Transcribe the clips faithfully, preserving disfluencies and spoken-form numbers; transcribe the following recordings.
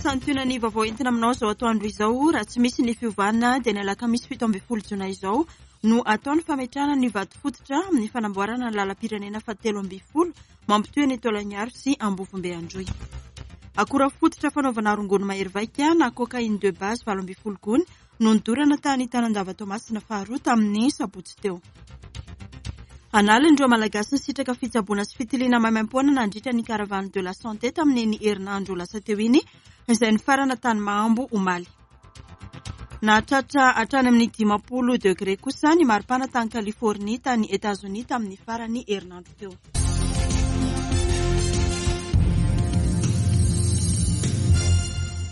Santionany vaovao entina aminao izao atoandro izao. Raha tsy misy ny fiovana dia ny alakamisy fito ambin'ny folo jona izao no atao ny fametrahana ny vato fototra amin'ny fanamboarana ny lalam-pirenena fahatelo ambin'ny folo mampitohy ny Taolagnaro sy Ambovombe Androy. Akora fototra fanaovana rongony mahery vaika na cocaïne de base valo ambin'ny folo gony no nodorana tany Tanandava Toamasina faharoa tamin'ny sabotsy teo. Analin'ireo Malagasy nisitraka fitsaboana sy fitiliana maimaimpoana nandritra ny caravane de la santé tamin'iny herinandro lasa teo iny, izay nifarana tany Mahambo omaly. Nahatratra hatrany amin'ny dimampolo degré kosa ny maripana tany Californie tany Etazonia tamin'ny farany herinandro teo.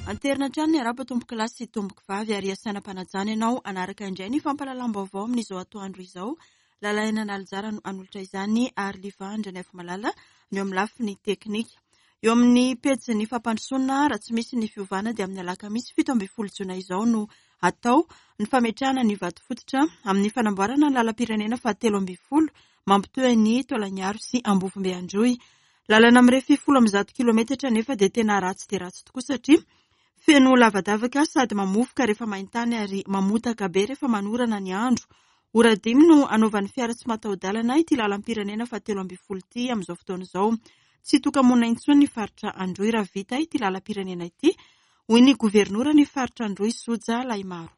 Anterina hatrany ny araba tompoko lahy sy tompoko vavy ary asaina mpanajana ianao hanaraka indray ny fampahalalam-baovao amin'izao atoandro izao. Lalaina Nalijara no hanolotra izany ary Livandra ny Afomalala no eo amin'ny lafiny teknika. Eo amin'ny pejin'ny fampandrosoana, raha tsy misy ny fiovana dia amin'ny alakamisy fito ambin'ny folo jona izao no atao ny fametrahana ny vato fototra amin'ny fanamboarana ny lalam-pirenena fahatelo ambin'ny folo mampitohy ny Taolagnaro sy Ambovombe Androy. Lalana mirefy folo amby zato kilometatra nefa dia tena ratsy dia ratsy tokoa satria feno lavadavaka sady mamofoka rehefa maintany ary mamotaka be rehefa manorana ny andro. Ora dimy no anaovan'ny fiara tsy mataho-dalana ity lalam-pirenena fahatelo ambin'ny folo ity amin'izao fotoana izao. Tsy toka-monina intsony ny faritra Androy raha vita ity lalam-pirenena ity, hoy ny governora ny faritra Androy Soja Lahimaro.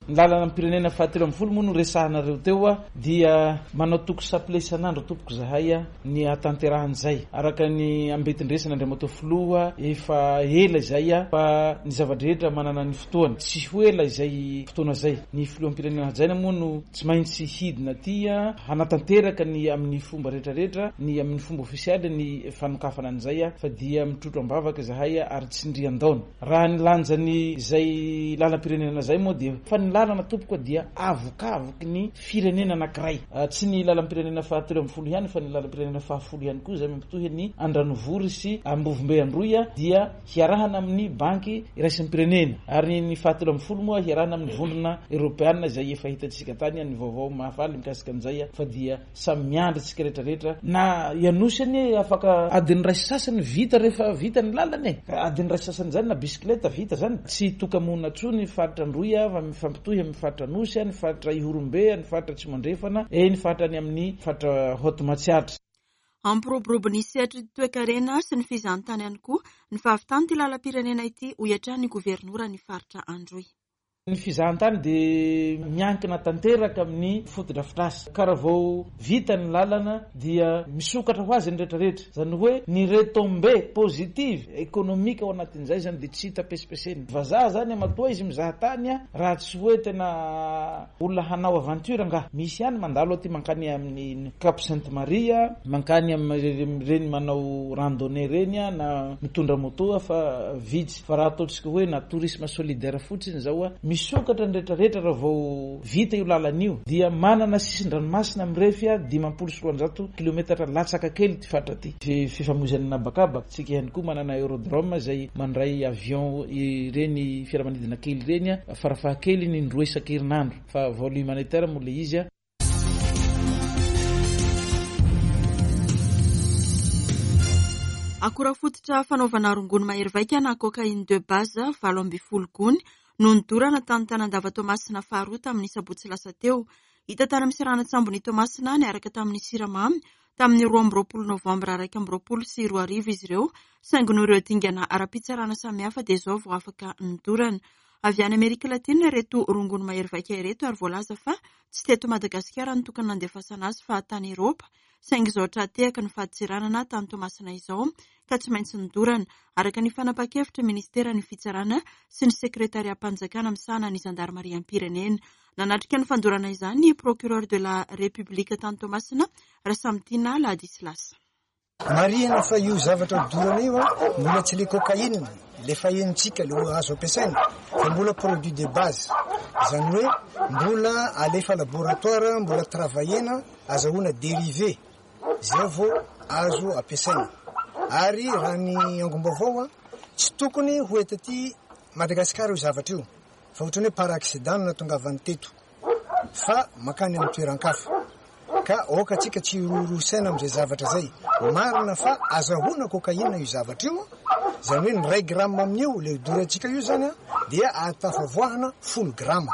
Ny lalam-pirenena fahatelo ambin'ny folo moa no resahanareo teo dia manao toko saple isan'andro tompoko zahay ny hatanterahan'izay. Araka ny ambetindresana Andriamatoa Filoha efa ela izay fa ny zava-drehetra manana ny fotoana. Tsy ho ela izay fotoana izay. Ny filoham-pirenena hajaina moa no tsy maintsy hidina aty hanatanteraka ny amin'ny fomba rehetrarehetra, ny amin'ny fomba ofisialy ny fanokafana an'izay fa dia mitrotro am-bavaka zahay ary tsy ndrian-daona. Raha ny lanjany izay lalam-pirenena izay moa dia fa ny lalana tompoko dia avokavoky ny firenena anankiray. Tsy ny lalam-pirenena fahatelo ambin'ny folo ihany fa ny lalam-pirenena fahafolo ihany koa izay mampitohy ny Andranovory sy Ambovombe Androy dia hiarahana amin'ny banky iraisam-pirenena. Ary ny fahatelo ambin'ny folo moa hiarahana amin'ny vondrona eoropeana izay efa hitantsika tany ny vaovao mahafaly mikasika an'izay fa dia samy miandry tsika rehetrarehetra. Na Ianosy anie afaka adiny iray sasany vita rehefa vita ny lalana e. Adiny iray sasany zany na bisikileta vita zany. Tsy toka-monina intsony ny faritra Androy fa mifampitohy amin'ny faritra Anosy, ny faritra Ihorombe, ny faritra Atsimo-Andrefana, e ny faritra any amin'ny faritra Haute Matsiatra. Ampiroborobo ny sehatry ny toekarena sy ny fizahantany ihany koa ny fahavitan'ity lalam-pirenena ity, hoy hatrany ny governora ny faritra Androy. Ny fizahantany dia miankina tanteraka amin'ny fotodrafitrasa. Ka raha vao vita ny lalana dia misokatra ho azy ny rehetrarehetra. Zany hoe ny retombée positive économique ao anatin'izay zany dia tsy hita pesipesenina. Vazaha zany matoa izy mizaha tany raha tsy hoe tena olona hanao aventure angaha. Misy ihany mandalo aty mankany amin'ny Cap Sainte Marie, mankany amin'ireny manao randonnée reny na mitondra moto fa vitsy. Fa raha ataontsika hoe na tourisme solidaire fotsiny zao misokatra ny rehetrarehetra raha vao vita io lalana io dia manana sisin-dranomasina mirefy dimampolo sy roanjato kilometatra latsaka kely ty faritra ty. Fifamoizana nabakabaka tsika ihany koa manana aérodrome izay mandray avion ireny fiaramanidina kely ireny farafahakeliny indroa isan-kerinandro fa vol humanitaire moa le izy. Akora fototra fanaovana rongony mahery vaika na cocaïne de base valo ambin'ny folo gony no nodorana tany Tanandava Toamasina faharoa tamin'ny sabotsy lasa teo. Hita tany amin'ny seranan-tsambon'i Toamasina niaraka tamin'ny siramamy tamin'ny roa amby roapolo novambra iraika amby roapolo sy roa arivo izy ireo, saingy noho ireo dingana ara-pitsarana samihafa dia izao vao afaka nodorana. Avy any Amerika Latina ireto rongony mahery vaika ireto ary voalaza fa tsy teto Madagasikara no tokony nandefasana azy fa tany Eropa, saingy izao tra-tehaka ny fadintseranana tany Toamasina izao ka tsy maintsy nodorana, araka ny fanapahan-kevitra ministeran'ny fitsarana sy ny sekretariam-panjakana misahana ny zandarimariam-pirenena. Nanatrika ny fandorana izany ny procureur de la République tany Toamasina, Rasamitiana Ladislas. Marihina fa io zavatra dorana io mbola tsy le cocaïne le fahenontsika le azo ampiasaina fa mbola produit de base, izany hoe mbola alefa laboratoire, mbola travaillena azahoana dérivé zay vao azo ampiasaina. Ary raha ny angom-baovao tsy tokony ho eto aty Madagasikara io zavatra io fa ohatrany hoe par accident no nahatongavany teto fa makany amin'ny toeran-kafa. Ka aoka atsika tsy hiroroa saina amin'izay zavatra zay. Marina fa azahoana cocaïne io zavatra io, zany hoe ny ray gramme amin'io le dorantsika io zany a dia ahatafavoahana folo grama.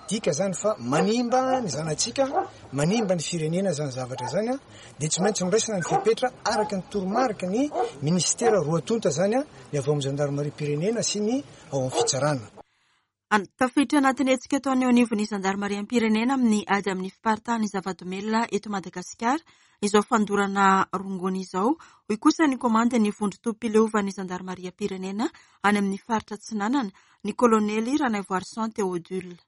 Dika zany fa manimba ny zanatsika, manimba ny firenena zany zavatra zany a, dia tsy maintsy noraisina ny fepetra araka ny toromarika ny ministera roa tonta zany a, ny avy ao amin'ny zandarimariam-pirenena sy ny ao amin'ny fitsarana. Tafiditra anatin'ny hetsika ataon'ny eo anivon'ny zandarimariam-pirenena amin'ny ady amin'ny fiparitahan'ny zava-domelina eto Madagasikara izao fandorana rongony izao, hoy kosa ny komandin'ny vondron-tobim-pileovan'ny zandarimariam-pirenena any amin'ny faritra Atsinanana, ny kolonely Ranaivoarison Théodule.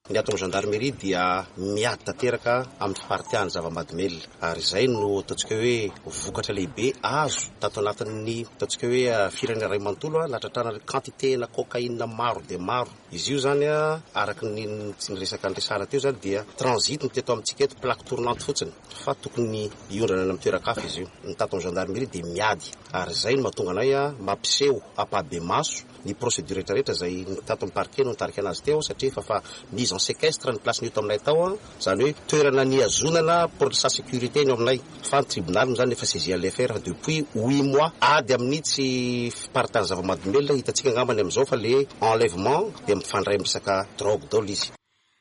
Ny ato amin'ny gendarmerie dia miady tanteraka amin'ny fiparitahan'ny zava-mahadomelina, ary izay no ataontsika hoe vokatra lehibe azo tato anatin'ny ataontsika hoe firenena iray manontolo, nahatratrarana quantité-na cocaïne maro dia maro. Izy io zany a, araka ny tsy niresaka niresahana teo zany dia transit no teto amintsika eto, plaque tournante fotsiny, fa tokony hiondrana any amin'ny toeran-kafa izy io. Ny tato amin'ny gendarmerie dia miady, ary izay no mahatonga anay a mampiseho ampahibemaso ny procédure rehetrarehetra izay ny tato amin'ny parquet no nitarika anazy teo, satria efa fa mise en séquestre ny place ny eto aminay tao, zany hoe toerana nihazonana pour sa sécurité ny eo aminay, fa ny tribunal moa zany efa saisi l'affaire depuis huit mois. Ady amin'ny tsy fiparitahan'ny zava-mahadomelina hitantsika angambany amin'izao fa le enlèvement dia mifandray amin'ny resaka drogue daholo izy.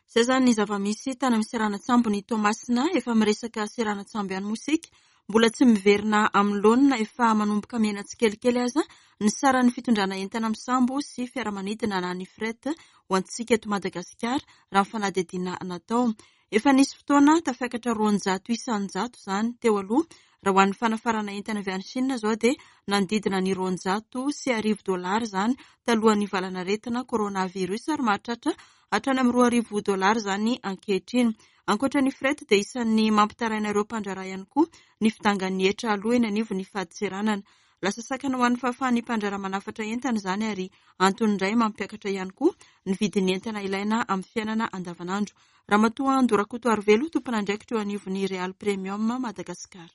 Izay zany ny zava-misy tany amin'ny seranan-tsambo ny Toamasina. Efa miresaka seranan-tsambo ihany moa isika, mbola tsy miverina amin'ny laonina, efa manomboka mihena tsikelikely aza ny saran'ny fitondrana entana amin'ny sambo sy fiaramanidina na ny fret ho antsika eto Madagasikara raha ny fanadihadiana natao. Efa nisy fotoana tafiakatra roanjato isan-jato izany teo aloha. Raha ho an'ny fanafarana entana avy any Chine izao dia nanodidina ny roanjato sy arivo dolara izany talohan'ny valanaretina coronavirus, ary mahatratra hatrany amin'ny roa arivo dolara izany ankehitriny. Ankoatra ny fret dia isan'ny mampitaraina ireo mpandraharaha ihany koa ny fidangan'ny hetra aloha eny anivon'ny fadintseranana. Lasa sakana ho an'ny fahafahan'ny mpandraharaha manafatra entana izany, ary antony indray mampiakatra ihany koa ny vidin'ny entana ilaina amin'ny fiainana andavanandro. Ramatoa Andorakoto Arivelo, tompon'andraikitra eo anivon'ny Real Premium Madagasikara.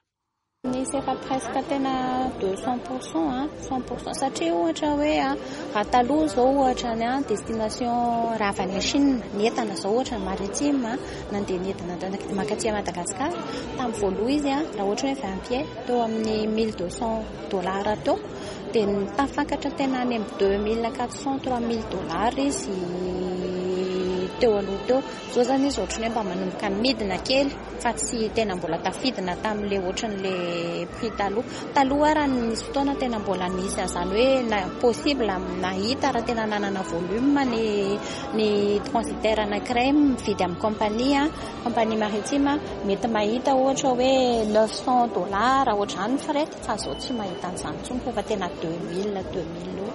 Nisy efa presque tena deux cent pour cent, hein, cent pour cent. Satria ohatra hoe raha taloha izao ohatra ny destination raha avy any Chine, ny entana izao ohatra ny maritime nandeha niedina mankaty Madagasikara, tamin'ny voalohany izy raha ohatra hoe vingt pieds teo amin'ny mille deux cents dollars teo, dia nitafakatra tena any amin'ny deux mille quatre cents, trois mille dollars izy teo aloha teo. Izao zany izy ohatran'ny hoe mba manomboka midina kely fa tsy tena mbola tafidina tamin'ilay ohatran'ilay prix taloha. Taloha raha nisy fotoana tena mbola nisy an'izany hoe na possible nahita raha tena nanana volume ny, ny transitaire anankiray mividy amin'ny compagnie, compagnie maritime, mety mahita ohatra hoe neuf cents dollars ohatr'izany ny fret, fa izao tsy mahita an'izany intsony fa efa tena deux mille, deux mille eo.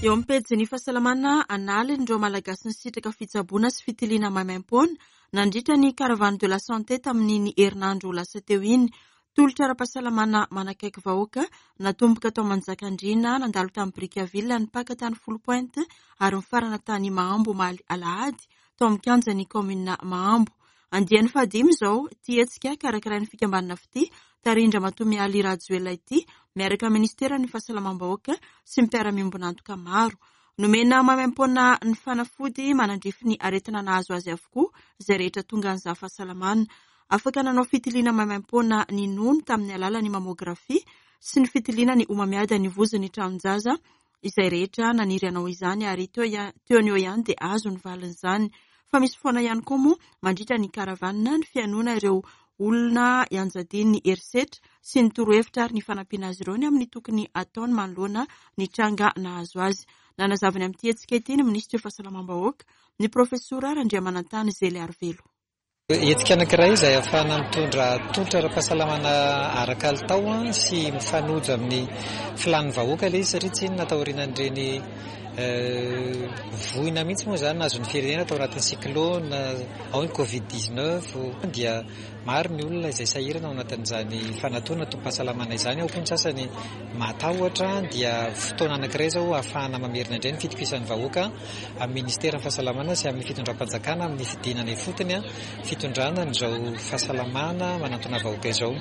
Eo amin'ny pejin'ny fahasalamana, analin'ireo Malagasy nisitraka fitsaboana sy fitiliana maimaimpoana nandritra ny caravane de la santé tamin'iny herinandro lasa teo iny. Tolotra ara-pahasalamana manakaiky vahoaka natomboka tao Manjakandriana, nandalo tamin'ny Brickaville, nipaka tany Foulpointe ary nifarana tany Mahambo omaly alahady tao amin'ny kianjan'ny kaominina Mahambo. Andiany fahadimy izao ity hetsika karakarain'ny fikambanana Fitia tarihin-dRamatoa Mialy Rajoelina ity miaraka amin'ny ministeran'ny fahasalamam-bahoaka sy ny mpiara-miombon'antoka maro. Nomena maimaimpoana ny fanafody manandrify ny aretina nahazo azy avokoa izay rehetra tonga nizaha fahasalamana. Afaka nanao fitiliana maimaimpoana ny nono tamin'ny alalan'ny mammografia sy ny fitiliana ny homamiadan'ny vozon'ny tranon-jaza izay rehetra naniry hanao izany, ary teo ia-, teo ny eo ihany dia azo ny valin'izany. Fa misy foana ihany koa moa mandritra ny caravane ny fihainoana ireo olona ianjadian'ny herisetra sy ny torohevitra ary ny fanampiana azy ireo ny amin'ny tokony ataony manoloana ny tranga nahazo azy. Nanazava ny amin'ity hetsika ity ny minisitry ny fahasalamam-bahoaka, ny profesora Randriamanantany Zely Arivelo. Hetsika anankiray izay ahafahana mitondra tolotra ara-pahasalamana ara-kalitao sy mifanojo amin'ny filàn'ny vahoaka ilay izy, satria tsy inona taorian'ireny voina mihitsy moa izany nahazo ny firenena tao anatin'ny cyclone, ao ny covid dix-neuf, dia maro ny olona izay sahirana ao anatin'izany fanatona tobim-pahasalamana izany. Ao koa ny sasany matahotra, dia fotoana anankiray izao ahafahana mamerina indray ny fitokisan'ny vahoaka amin'ny ministeran'ny fahasalamana sy amin'ny fitondram-panjakana amin'ny fidinana ifotony, fitondrana an'izao fahasalamana manantona vahoaka izao.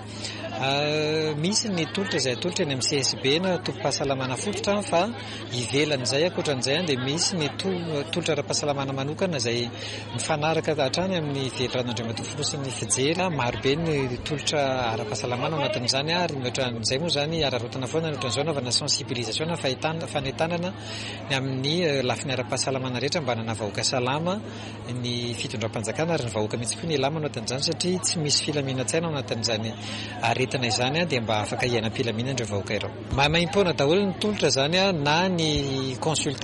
Misy ny tolotra izay atolotra eny amin'ny C S B na tobim-pahasalamana fototra, fa ivelan'izay ankoatra Ankoatran'izay dia misy ny tolotra ara-pahasalamana manokana izay mifanaraka hatrany amin'ny veliranoandriamatoa filoha sy ny fijery. Marobe ny tolotra ara-pahasalamana ao anatin'izany ary mihoatran'izay moa izany araraotana foana ny ohatran'izao anaovana sensibilisation na fahitana fanentanana ny amin'ny lafiny ara-pahasalamana rehetra mba hanana vahoaka salama ny fitondram-panjakana ary ny vahoaka mihitsy koa ny ilama ao anatin'izany satria tsy misy filaminan-tsaina ao anatin'izany aretina izany dia mba afaka hiainam-pilaminana ireo vahoaka ireo. Maimaimpoana daholo ny tolotra izany na ny consultation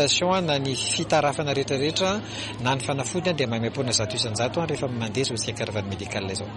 na ny fitarafana rehetrarehetra na ny fanafody dia maimaimpoana zato isan-jato rehefa mandeha izao hetsika caravane médicale izao.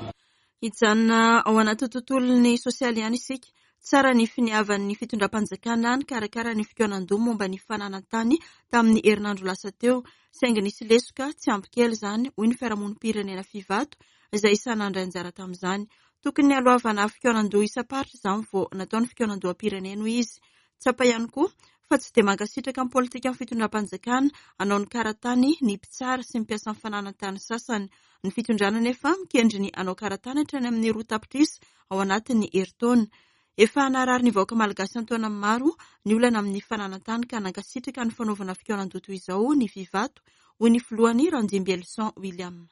Hijanona ao anaty tontolon'ny sosialy ihany isika. Tsara ny finiavan'ny fitondram-panjakana nikarakara ny fikaonan-doha momba ny fananan-tany tamin'ny herinandro lasa teo. Saingy nisy lesoka tsy ampy kely izany, hoy ny fiarahamonim-pirenena Fivato izay isan'ny nandray anjara tamin'izany. Tokony haloavana fikaonan-doha isam-paritra izany vao natao ny fikaonan-doham-pirenena, hoy izy. Tsapa ihany koa fa tsy dia mankasitraka ny politikan'ny fitondram-panjakana hanao ny karatany ny mpitsara sy ny mpiasan'ny fananan-tany sasany. Ny fitondrana nefa mikendry ny hanao karatany hatrany amin'ny roa tapitrisa ao anatin'ny herintaona. Efa narary ny vahoaka malagasy an-taonany maro ny olana amin'ny fananan-tany ka nankasitraka ny fanaovana fikaonan-doha toy izao ny Fivato, hoy ny filohany Randimbielson William.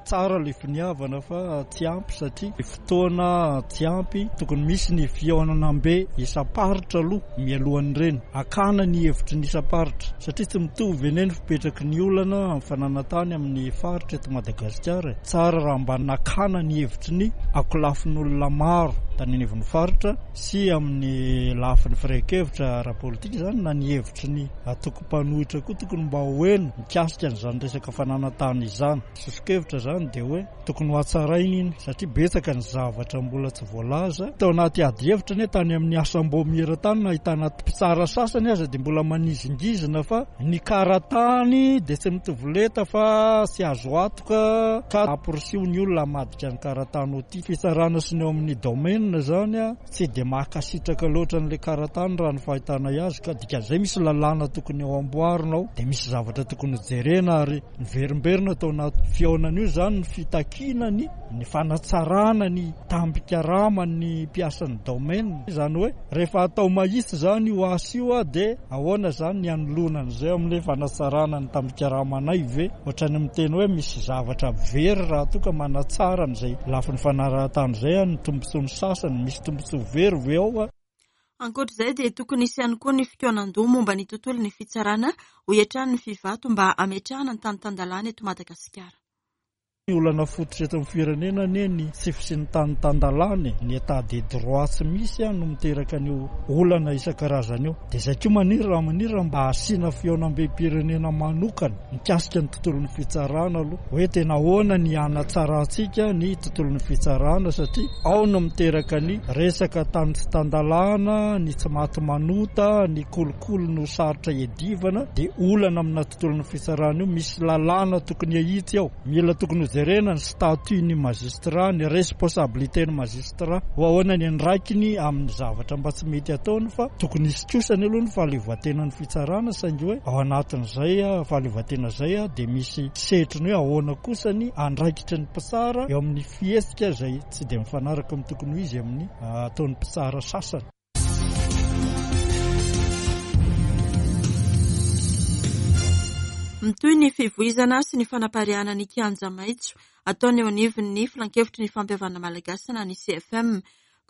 Tsara ilay finiavana fa tsy ampy satria fotoana tsy ampy, tokony misy ny fihaonana-be isam-paritra aloha mialohan'ireny, akana ny hevitry ny isam-paritra satria tsy mitovy eny ny fipetraky ny olana amin'ny fananan-tany amin'ny faritra eto Madagasikara. Tsara raha mba nakana ny hevitry ny akolafin'olona maro tany anivon'ny faritra sy amin'ny lafiny firehan-kevitra ara-politika izany na ny hevitry ny antoko-mpanohitra koa tokony mba ho heno mikasika an'izany resaka fananan-tany izany. Soso-kevitra zany dia hoe tokony ho hatsaraina iny satria betsaka ny zavatra mbola tsy voalaza. Tao anaty ady hevitra anie tany amin'ny asam-baomiera tany nahitana mpitsara sasany aza dia mbola manizingizina fa ny karatany dia tsy mitovy lenta fa tsy azo antoka ka amporisiho ny olona hamadika ny karatany ho ity. Fitsarana sy ny eo amin'ny domaine zany a tsy dia mahakasitraka loatra an'ilay karatany raha ny fahitana azy ka dikan'izay misy lalàna tokony ho amboarina ao dia misy zavatra tokony hojerena ary niverimberina tao anaty fihaonana io zany ny fitakiana ny ny fanatsarana ny tambikaraman'ny mpiasan'ny domaine. Izany hoe rehefa atao mahitsy zany io asa io dia ahoana zany ny anoloana an'izay amin'ilay fanatsarana ny tambikaramanay ve? Ohatran'ny miteny hoe misy zavatra very raha toa ka manatsara an'izay lafiny fanarahan-tany izay ny tombontsoan'ny sasany, misy tombontsoa very ve ao? Ankoatr'izay dia tokony hisy ihany koa ny fikaonan-doha momba ny tontolon'ny fitsarana, hoy hatrany ny Fivato mba hametrahana ny tany tan-dalàna eto Madagasikara. Ny olana fototra eto amin'ny firenena anie ny tsy fisian'ny tany tan-dalàna, ny état de droit tsy misy no miteraka an'io olana isan-karazany io. Dia izay koa maniry raha maniry raha mba hasiana fihaonambem-pirenena manokana mikasika ny tontolon'ny fitsarana aloha, hoe tena ahoana ny hanatsarantsika ny tontolon'ny fitsarana satria ao no miteraka ny resaka tany tsy tan-dalàna, ny tsy maty manota, ny kolikoly no sarotra iadivana. Dia olana amina tontolon'ny fitsarana io, misy lalàna tokony hahitsy ao, mila tokony jerena ny statut ny magistrat, ny responsabilité ny magistrat, ho ahoana ny andraikiny amin'ny zavatra mba tsy mety ataony fa tokony hisy kosa ny aloha ny fahaleovantenan'ny fitsarana, saingy hoe ao anatin'izay fahaleovantena izay dia misy setriny hoe ahoana kosa ny andraikitry ny mpitsara eo amin'ny fihetsika izay tsy dia mifanaraka amin'ny tokony ho izy amin'ny ataon'ny mpitsara sasany. Mitohy ny fivoizana sy ny fanapariahana ny kianja maitso ataony eo anivon'ny filankevitry ny fampihavanana malagasy na ny C F M.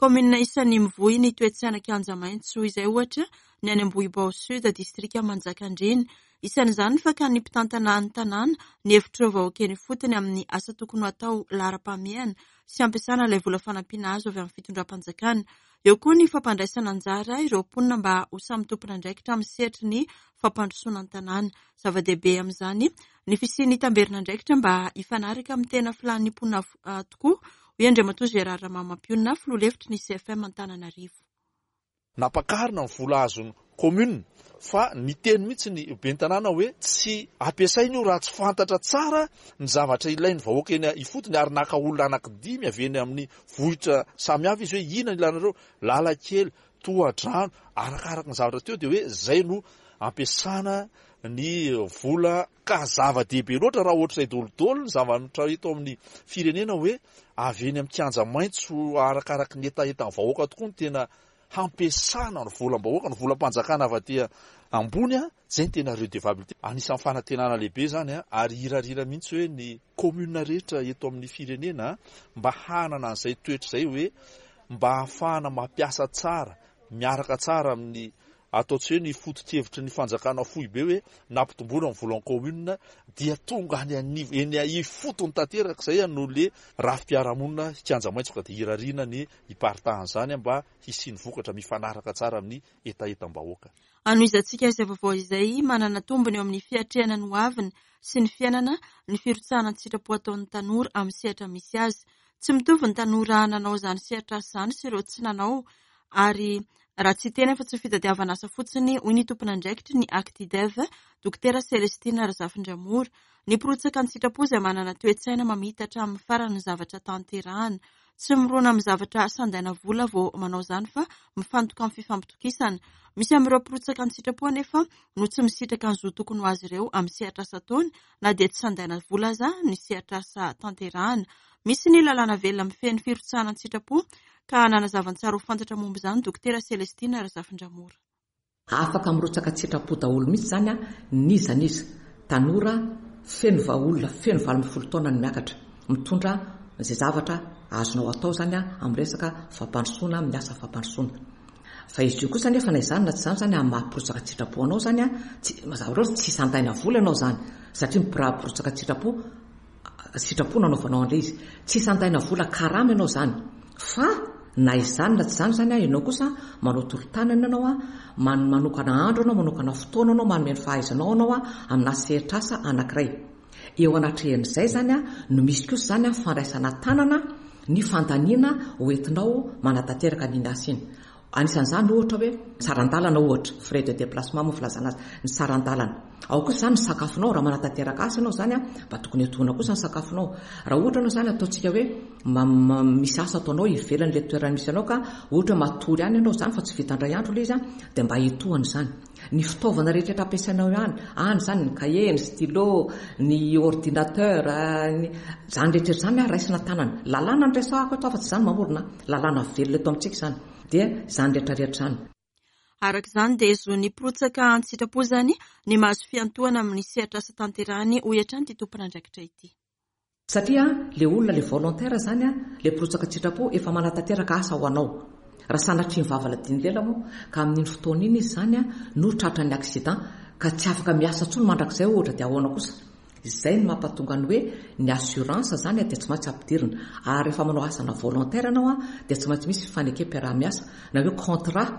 Kaominina isan'ny mivoy ny toe-tsaina kianja maitso izay ohatra ny any Ambohibao Sud, distrika Manjakandriana. Isan'izany ny fakan'ny mpitantana ny tanàna ny hevitr'ireo vahoaka eny ifotony amin'ny asa tokony ho atao laharam-pahamehana sy ampiasana ilay vola fanampiana azo avy amin'ny fitondram-panjakana. Eo koa ny fampandraisana anjara ireo mponina mba ho samy tompon'andraikitra amin'ny sehatry ny fampandrosoana ny tanàna. Zava-dehibe amin'izany ny fisian'ny tamberin'andraikitra mba hifanaraka amin'ny tena filan'ny mponina tokoa, hoy Andriamatoa Gérard Ramamampionona, filoha lefitry ny C F M Antananarivo. Nampakarina ny vola azon'ny commune fa niteny mihitsy ny ben'ny tanàna hoe tsy ampiasaina io raha tsy fantatra tsara ny zavatra ilain'ny vahoaka eny ifotony, ary naka olona anankidimy avy eny amin'ny vohitra samihafa izy hoe inona ny ilanareo, lalakely, tohadrano, arakaraka ny zavatra teo dia hoe zay no ampiasana ny vola. Ka zava-dehibe loatra raha ohatr'izay daholo ny zavatra eto amin'ny firenena hoe avy eny amin'ny kianja maitso arakaraka ny hetahetan'ny vahoaka tokoa ny tena hampiasana ny volam-bahoaka, ny volam-panjakana avy aty ambony a, zay ny tena redevabilité. Anisan'ny fanantenana lehibe zany a, ary hirarira mihitsy hoe ny commune rehetra eto amin'ny firenena mba hanana an'izay toetra izay hoe mba ahafahana mampiasa tsara, miaraka tsara amin'ny atao tsy hoe ny foto-kevitry ny fanjakana foibe hoe nampitomboana ny volan'ny commune dia tonga any anivo eny ifotony tanteraka izay no le rafi-piarahamonina kianja maitso ka dia hirariana ny hiparitahan'izany mba hisian'ny vokatra mifanaraka tsara amin'ny hetahetam-bahoaka. Anohizantsika izay vaovao izay manana tombony eo amin'ny fiatrehana ny hoaviny sy ny fiainana ny firotsahana an-tsitrapo ataon'ny tanora amin'ny sehatra misy azy. Tsy mitovy ny tanora nanao izany sehatra izany sy ireo tsy nanao ary raha tsy tena fa tsy fitadiavana asa fotsiny, hoy ny tompon'andraikitry ny Actidev, Dokotera Celestine Razafindramora. Ny mpirotsaka an-tsitrapo izay manana toe-tsaina mamita hatramin'ny farany ny zavatra tanterahana. Tsy mirona amin'ny zavatra sandaina vola vao manao izany fa mifantoka amin'ny fifampitokisana. Misy amin'ireo mpirotsaka an-tsitrapo anefa no tsy misitraka ny zo tokony ho azy ireo amin'ny sehatra asa ataony na dia tsy sandaina vola aza ny sehatra asa tanterahana. Misy ny lalàna velona mifehy ny firotsahana an-tsitrapo ka nanazava tsara ho fantatra momba izany Dokotera Celestine Razafindramora. Afaka mirotsaka an-tsitrapo daholo mihitsy izany a, n'iza n'iza tanora feno vaolona feno valo ambin'ny folo taona ny miakatra mitondra izay zavatra azonao atao izany a amin'ny resaka fampandrosoana, amin'ny asa fampandrosoana. Fa izy io kosa nefa na izany na tsy izany izany amin'ny maha mpirotsaka an-tsitrapo anao izany a, tsy mazava loatra tsy sandaina vola ianao izany satria mpirotsaka an-tsitrapo sitrapo nanaovanao an'ilay izy. Tsy sandaina vola karama ianao izany fa na izany na tsy izany izany a, ianao kosa manao tolo-tanana ianao a, manokana andro ianao, manokana fotoana ianao, manome ny fahaizanao ianao a amina sehatr'asa anankiray. Eo anatrehan'izay izany a no misy kosa izany a fandraisana tanana ny fandaniana hoentinao manatanteraka an'iny asa iny. Anisan'izany ohatra hoe saran-dalana ohatra, frais de déplacement moa filazana azy, ny saran-dalana. Ao kosa izany ny sakafonao, raha manatanteraka asa ianao izany a, mba tokony etoana kosa ny sakafonao. Raha ohatra ianao izany ataontsika hoe misy asa ataonao ivelan'ilay toerana misy anao ka ohatra hoe matory ihany ianao izany fa tsy vita indray andro ilay izy a, dia mba etoana izany. Ny fitaovana rehetra ampiasainao ihany, any izany ny cahier, ny stylo, ny ordinateur, izany rehetra izany a raisina tanana. Lalàna no resahako eto fa tsy izany mamorona, lalàna velona eto amintsika izany. Dia izany rehetra rehetra izany. Araka izany dia zon'ny mpirotsaka an-tsitrapo izany ny mahazo fiantohana amin'ny sehatra asa tanterahany, hoy hatrany ity tompon'andraikitra ity. Satria le olona le volontaire izany a, le mpirotsaka an-tsitrapo efa manatanteraka asa ho anao. Raha sanatria ny vava ladino lela moa ka amin'iny fotoana iny izy izany a no tratran'ny accident ka tsy afaka miasa intsony mandrakizay ohatra, dia ahoana kosa? Izay no mampatonga ny hoe ny assurance izany dia tsy maintsy ampidirina. Ary rehefa manao asana volontaire ianao a dia tsy maintsy misy fanekem-piaraha-miasa na hoe contrat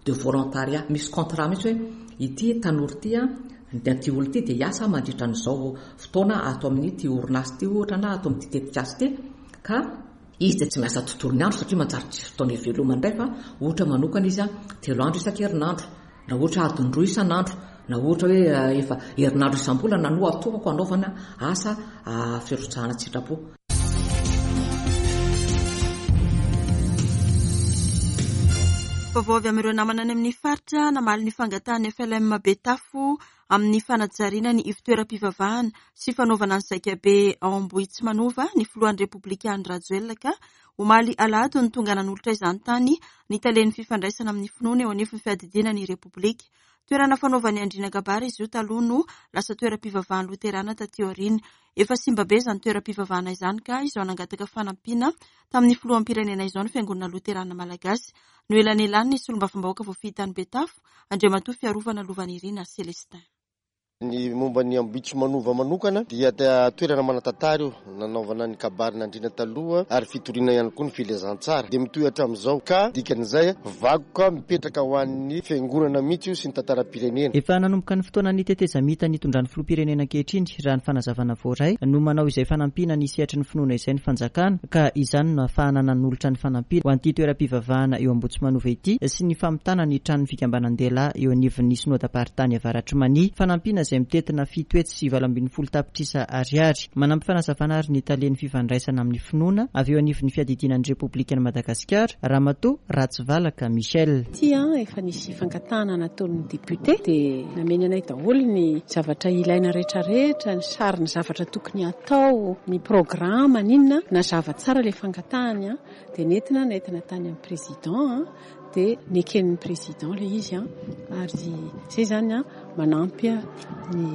de volontariat. Misy contrat mihitsy hoe ity tanora ity a, dia ity olona ity dia hiasa mandritra an'izao fotoana ato amin'ity orinasa ity ohatra na ato amin'ity tetikasa ity, ka izy dia tsy miasa tontolo ny andro satria manjary tsy fotoana ivelomany indray fa ohatra manokana izy a telo andro isan-kerinandro na ohatra adiny roa isan'andro na ohatra hoe efa herinandro isam-bolana no atokako anaovana asa firotsahana an-tsitrapo. Vaovao avy amin'ireo namana any amin'ny faritra namaly ny fangatahan'ny F L M Betafo amin'ny fanajariana ny ivon-toeram-pivavahana sy fanaovana ny zaikabe ao Ambohitsimanova ny filohan'ny Repoblika Andry Rajoelina ka omaly alahady no tonga nanolotra izany tany ny talen'ny fifandraisana amin'ny finoana eo anivon'ny fiadidiana ny Repoblika. Toerana fanaovan'ny andriana kabary izy io taloha no lasa toeram-pivavahana loterana taty aoriana. Efa simba be izany toeram-pivavahana izany ka izao nangataka fanampiana tamin'ny filoham-pirenena izao ny fiangonana loterana malagasy. Noelanelaniny ny solombavambahoaka voafidy tany Betafo, Andriamatoa Fiarovana Lovanirina Célestin. Ny momba ny Ambohitsimanova manokana dia toerana manan-tantara io, nanaovana ny kabarin'andriana taloha ary fitoriana ihany koa ny filazantsara. Dia mitohy hatramin'izao ka dikan'izay vakoka mipetraka ho an'ny fiangonana mihitsy io sy ny tantaram-pirenena. Efa nanomboka ny fotoana ny tetezamita nitondran'ny filoham-pirenena ankehitriny raha ny fanazavana voaray no manao izay fanampiana ny sehatry ny finoana izay ny fanjakana ka izany no ahafahana nanolotra ny fanampiana ho an'ity toeram-pivavahana eo Ambohitsimanova ity sy ny famitana ny tranon'ny fikambanan-dehilahy eo anivon'ny Synodam-paritany Avaratr'i Mania. Fanampiana izay mitentina fito hetsy sy valo ambin'ny folo tapitrisa ariary. Manampy fanazavana ary ny talen'ny fifandraisana amin'ny finoana avy eo anivon'ny fiadidiana ny Repoblikan'i Madagasikara, Ramatoa Ratsivalaka Michel. Ity efa nisy fangatahana nataon'ny député dia nameny anay daholo ny zavatra ilaina rehetrarehetra, ny sary ny zavatra tokony atao, ny programa n'inona, nazava tsara ilay fangatahany dia nentina nentina tany amin'ny président dia neken'ny président ilay izy ary izay zany manampy ny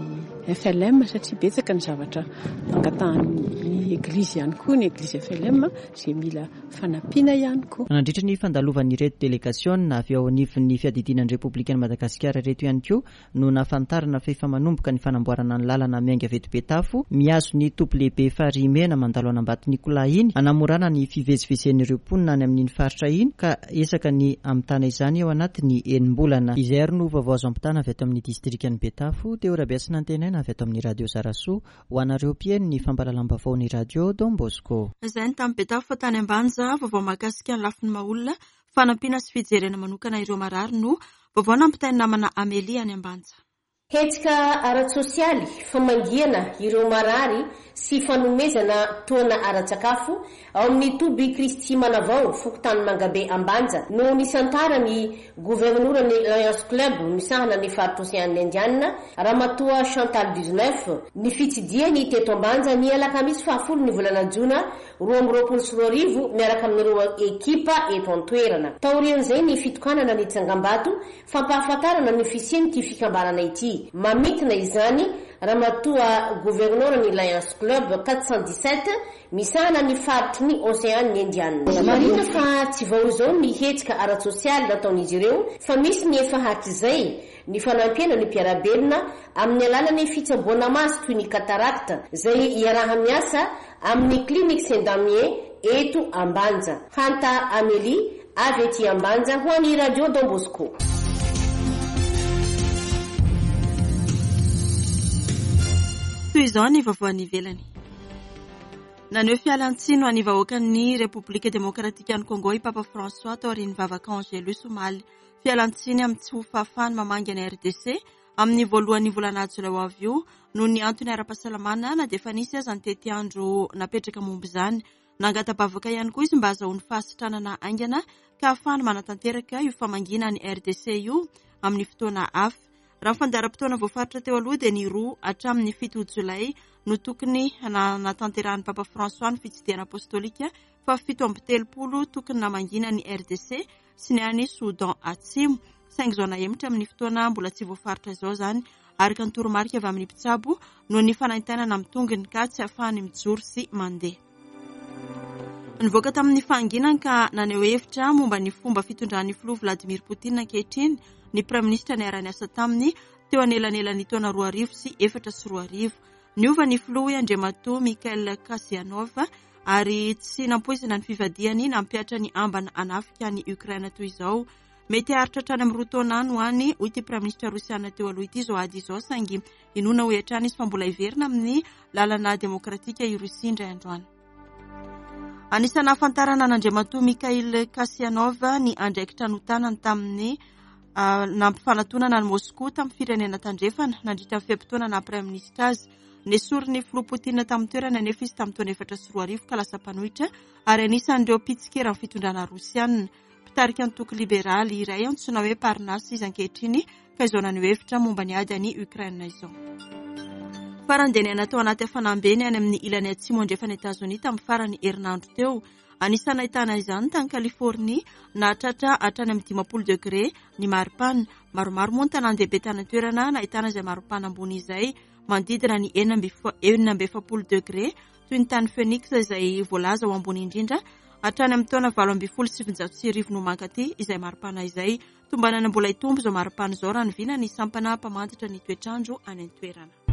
F L M satria betsaka ny zavatra fangatahan'ny église ihany koa, ny église F L M izay mila fanampiana ihany koa. Nandritra ny fandalovan'ireto délégation avy ao anivon'ny fiadidiana ny Repoblikan'i Madagasikara ireto ihany koa no nahafantarana fa efa manomboka ny fanamboarana ny lalana miainga avy eto Betafo mihazo ny toby lehibe Farihimena mandalo an'Ambato-Nicolas iny hanamorana ny fivezivezen'ireo mponina any amin'iny faritra iny ka ezaka ny hamitana izany eo anatin'ny enim-bolana. Izay ary no vaovao azo ampitana avy ato amin'ny distrikan'i Betafo, Teo Rabeasina Antenaina avy ato amin'ny Radio Zarasoa ho anareo mpihaino ny fampahalalam-baovao ny Radio Don Bosco. Izay ny tamin'ny Betafo fa tany Ambanja, vaovao mahakasika ny lafiny maha-olona, fanampiana sy fijerena manokana ireo marary no vaovao nampitain'ny namana Amélie any Ambanja. Hetsika ara-tsosialy, famangiana ireo marary sy fanomezana tohana ara-tsakafo ao amin'ny toby Kristy Manavao, fokontany Mangabe Ambanja no nisantarany governoran'ny Lions Club misahana ny faritra Océan Indiana, Ramatoa Chantal dix-neuf, ny fitsidiany teto Ambanja ny alakamisy fahafolo ny volana jona roa amby roapolo sy roa arivo miaraka amin'ireo ekipa eto an-toerana. Taorian'izay ny fitokanana ny tsangambato fampahafantarana ny fisian'ity fikambanana ity. Mamintina izany Ramatoa governoran'ny Lions Club quatre cent dix-sept misahana ny faritry ny Océan Indiana. Marina fa tsy vao izao ny hetsika ara-tsosialy nataon'izy ireo fa misy ny efa hatrizay ny fanampiana ny mpiara-belona amin'ny alalan'ny fitsaboana maso toy ny katarakta izay iaraha-miasa amin'ny clinique Saint-Damien eto Ambanja. Hanta Amélie avy ety Ambanja ho an'ny Radio Don Bosco. Toy izao ny vaovao any ivelany. Naneho fialantsiny ho an'ny vahoakan'ny Repoblika Demokratikan'i Congo i Papa François taorian'ny vavaka Angelus omaly. Fialantsiny amin'ny tsy ho fahafahany mamangy any R D C amin'ny voalohan'ny volana jolay ho avy io noho ny antony ara-pahasalamana na dia efa nisy aza ny tetiandro napetraka momba izany. Nangata-bavaka ihany koa izy mba hahazoany fahasitranana haingana ka ahafahany manatanteraka io famangiana ny R D C io amin'ny fotoana hafa. Raha ny fandaharam-potoana voafaritra teo aloha dia ny roa hatramin'ny fito jolay no tokony nanatanterahan'ny Papa François ny fitsidihana apostolika fa fito amby telopolo tokony namangiana ny R D C sy ny any Soudan Atsimo. Saingy izao nahemotra amin'ny fotoana mbola tsy voafaritra izao izany araka ny toromarika avy amin'ny mpitsabo noho ny fanaintainana amin'ny tongony ka tsy ahafahany mijoro sy mandeha. Nivoaka tamin'ny fahanginany ka naneho hevitra momba ny fomba fitondran'ny filoha Vladimir Poutine ankehitriny ny praiminisitra niara-niasa taminy teo anelanelan'ny taona roa arivo sy efatra sy roa arivo. Niova ny filoha Andriamatoa Mikhail Kasyanov ary tsy nampoizina ny fivadihany nampihatra ny ambana hanafika ny Ukraine toy izao. Mety haharitra hatrany amin'ny roa taona any ho any, hoy ity praiminisitra rosiana teo aloha ity izao ady izao, saingy inoana hoy hatrany izy fa mbola hiverina amin'ny lalana demokratika i Rosia indray androany. Anisan'ny nahafantarana an'Andriamatoa Mikhail Kasyanov ny andraikitra notanany tamin'ny nampifanatonana an'i Moscou tamin'ny firenena tandrefana nandritra ny fe-potoana naha praiminisitra azy. Nesorin'ny filoha Poutine tamin'ny toerana nefa izy tamin'ny taona efatra sy roa arivo ka lasa mpanohitra ary anisan'ireo mpitsikera ny fitondrana rosiana. Mpitarika antoko liberaly iray antsoina hoe Parnas izy ankehitriny ka izao naneho hevitra momba ny ady any Ukraine izao. Farany dia niaina tao anaty hafanam-be ny any amin'ny ilany atsimo andrefan'i Etazonia tamin'ny farany herinandro teo. Anisan'ny nahitana izany tany Californie nahatratra hatrany amin'ny dimampolo degré ny maripana. Maromaro moa ny tanàn-dehibe tany an-toerana nahitana izay maripana ambony izay manodidina ny enina amby efapolo degré toy ny tany Phoenix izay voalaza ho ambony indrindra hatrany amin'ny taona valo ambin'ny folo sy sivinjato sy arivo no mankaty izay maripana izay. Tombanana mbola hitombo izao maripana izao raha ny vina ny sampana mpamantatra ny toetrandro any an-toerana.